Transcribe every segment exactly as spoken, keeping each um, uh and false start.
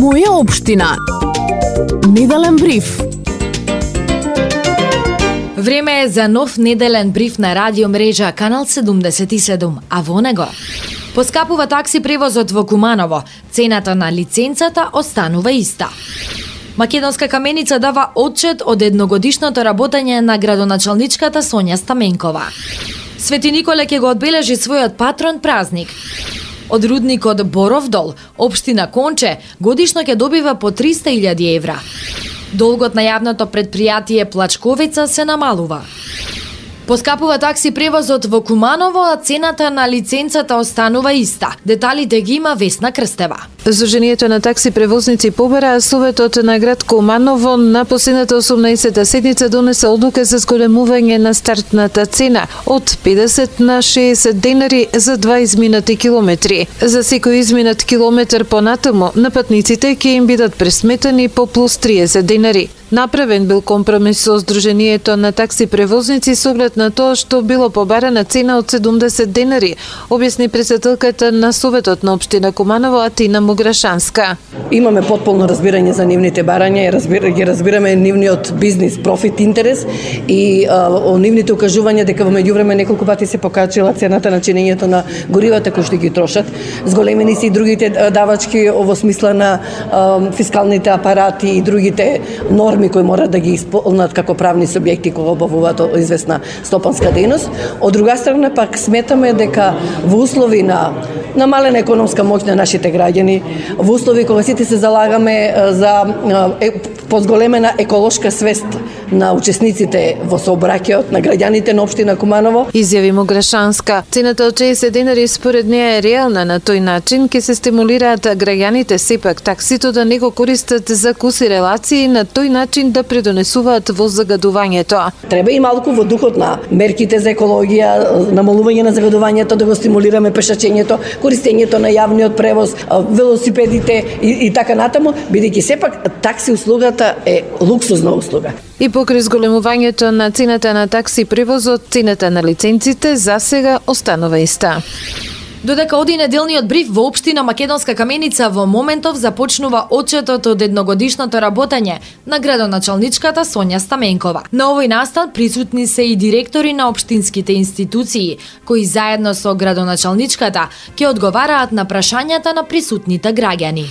Моја општина. Неделен бриф. Време е за нов неделен бриф на радио мрежа Канал седумдесет и седум, а во него поскапува такси превозот во Куманово, цената на лиценцата останува иста. Македонска каменица дава отчет од едногодишното работење на градоначалничката Сонја Стаменкова. Свети Николе ќе го одбележи својот патрон празник. Од рудникот Боров дол, општина Конче, годишно ќе добива по триста илјади евра. Долгот на јавното предпријатие Плачковица се намалува. Поскапува такси превозот во Куманово, а цената на лиценцата останува иста. Деталите ги има Весна Крстева. Сдруженијето на такси превозници побара, Советот на град Куманово на последната осумнаесета седница донесе одлука за зголемување на стартната цена од педесет на шеесет денари за два изминати километри. За секој изминат километар понатаму на патниците ќе им бидат пресметани по плюс триесет денари. Направен бил компромис со Сдруженијето на такси превозници со оглед на тоа што било побарана цена од седумдесет денари, објасни председателката на Советот на општина Куманово Атина Мограшанска. Имаме потполно разбирање за нивните барања, разбира, ги разбираме нивниот бизнис, профит, интерес и а, о нивните укажувања дека во меѓувреме неколку пати се покачила цената на чинењето на горивата кои што ги трошат. Зголемени се и другите давачки во смисла на а, фискалните апарати и другите норми кои мора да ги исполнат како правни субјекти кои обавуваат известна стопанска дејност. Од друга страна пак сметаме дека во услови на намалена економска моќ на нашите граѓани, во услови кога сите се залагаме за е, позголемена еколошка свест на учесниците во сообраќајот на граѓаните на општина Куманово. Изјави Мограшанска. Цената од шеесет денари според неа е реална, на тој начин ќе се стимулираат граѓаните сепак таксито да не го користат за куси релации, на тој начин да предонесуваат во загадувањето. Треба и малку во духот на мерките за екологија, намалување на загадувањето, да го стимулираме пешачењето, користењето на јавниот превоз, велосипедите и, и така натаму, бидејќи сепак такси услугата е луксузна услуга. И покрај зголемувањето на цената на такси превозот, цената на лиценците за сега останува иста. Додека оди неделниот бриф во општина Македонска каменица, во моментов започнува отчетот од едногодишното работење на градоначалничката Сонја Стаменкова. На овој настан присутни се и директори на општинските институции, кои заедно со градоначалничката ќе одговараат на прашањата на присутните граѓани.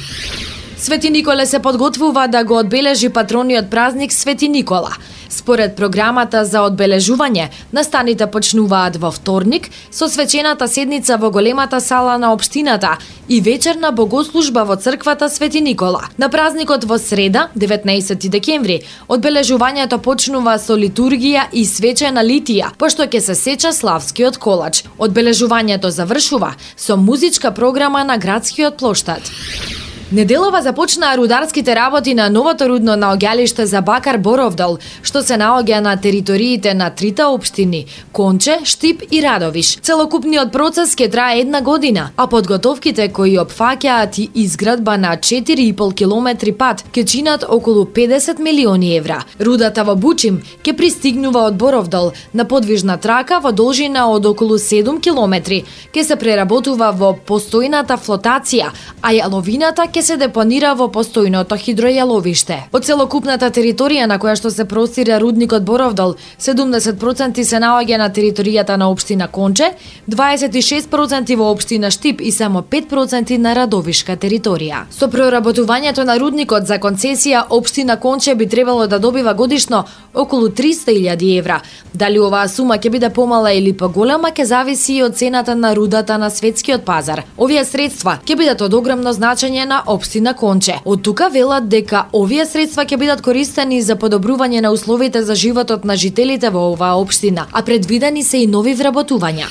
Свети Николе се подготвува да го одбележи патрониот празник Свети Никола. Според програмата за одбележување, настаните почнуваат во вторник со свечената седница во големата сала на општината и вечерна богослужба во црквата Свети Никола. На празникот во среда, деветнаесети декември, одбележувањето почнува со литургија и свечена литија, пошто ќе се сеча славскиот колач. Одбележувањето завршува со музичка програма на градскиот плоштад. Неделова започнаа рударските работи на новото рудно наоѓалиште за бакар Боров дол, што се наоѓа на териториите на трите општини Конче, Штип и Радовиш. Целокупниот процес ќе трае една година, а подготовките кои опфаќаат и изградба на четири и пол километри пат ќе чинат околу педесет милиони евра. Рудата во Бучим ќе пристигнува од Боров дол на подвижна трака во должина од околу седум километри, ќе се преработува во постојната флотација, а јаловината ќе се депонира во постојното хидројаловиште. Од целокупната територија на која што се простира рудникот Боров дол, седумдесет проценти се наоѓа на територијата на општина Конче, дваесет и шест проценти во општина Штип и само пет проценти на Радовишка територија. Со проработувањето на рудникот за концесија, општина Конче би требало да добива годишно околу триста илјади евра. Дали оваа сума ќе биде помала или поголема, ќе зависи и од цената на рудата на светскиот пазар. Овие средства ќе бидат од огромно значење на општина Конче. Од тука велат дека овие средства ќе бидат користени за подобрување на условите за животот на жителите во оваа општина, а предвидени се и нови вработувања.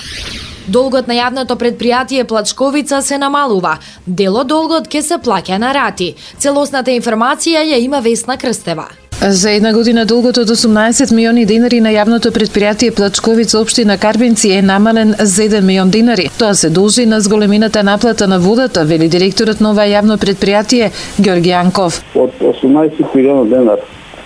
Долгот на јавното предпријатие Плачковица се намалува. Дел од долгот ќе се плаќа на рати. Целосната информација ја има Весна Крстева. За една година долгот од осумнаесет милиони денари на јавното предпријатие Плачковица општина Карбинци е намален за еден милион денари. Тоа се должи на зголемената наплата на водата, вели директорот на ова јавно предпријатие Ѓорги Јанков. Од осумнаесет милиона денар,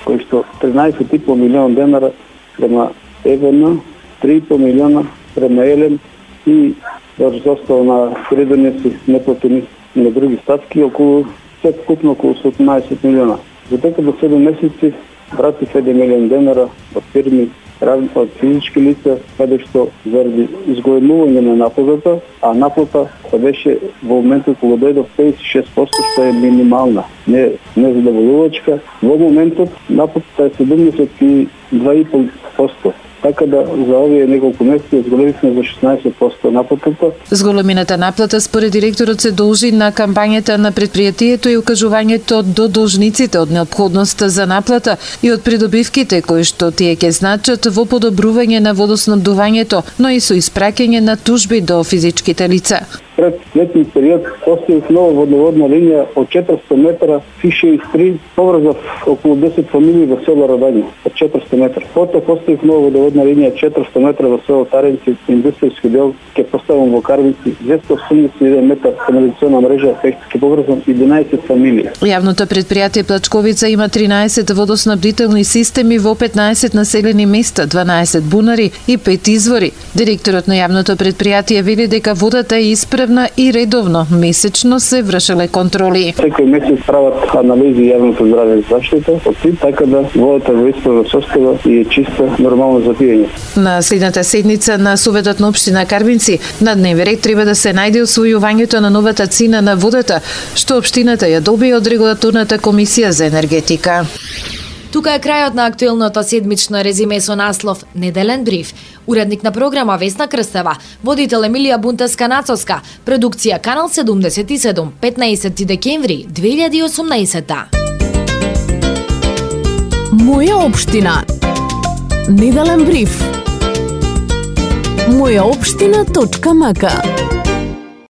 кои што тринаесет и пол милиона денара према ЕВН, три и пол милиона према Елем и врз остава на креденеси неплатени на други статки околу се купно околу седумнаесет милиона. За дека до седум месеци вратив еден милион денара од фирми, од физички лица, каде што заради изголемување на наплатата, а наплата беше во моментот кога дојдов педесет и шест проценти, што е минимална, не не задоволувачка. Во моментот наплатата е седумдесет и два и пол проценти. Така да за овие неколку месеци зголемивме за шеснаесет проценти наплатата. Зголемината наплата според директорот се должи на кампањата на предпријатието и укажувањето до должниците од неопходноста за наплата и од придобивките кои што тие ќе значат во подобрување на водоснабдувањето, но и со испраќање на тужби до физичките лица. Пред летниот период поставив нова водноводна линија од четиристотини метра шестдесет и три, поврзав околу десет фамилии во село Радање од четиристотини метра. Потоа поставив нова водноводна линија четиристотини метра во село Таренци, индустријски дел, ќе поставам во Карвици, двесте осумдесет и еден метар канализациона мрежа, ќе поврзам единаесет фамилии. Јавното предпријатие Плачковица има тринаесет водоснабдителни системи во петнаесет населени места, дванаесет бунари и пет извори. Директорот на јавното предпријатие вели дека водата е исправна и редовно месечно се вршеле контроли. Секој месец прават анализи јавното здраве и заштита, така да водата во исправна состава и е чиста, нормално за пиење. На следната седница на Советот на општина Карбинци на дневен ред треба да се најде усвојувањето на новата цена на водата, што општината ја добија од регулаторната комисија за енергетика. Тука е крајот на актуелното седмично резиме со наслов Неделен бриф. Уредник на програма Весна Крстева, водител Емилија Бунтеска-Нацовска, продукција Канал седумдесет и седум, петнаесети декември две илјади и осумнаесета. Моја општина. Неделен бриф. моја општина точка м к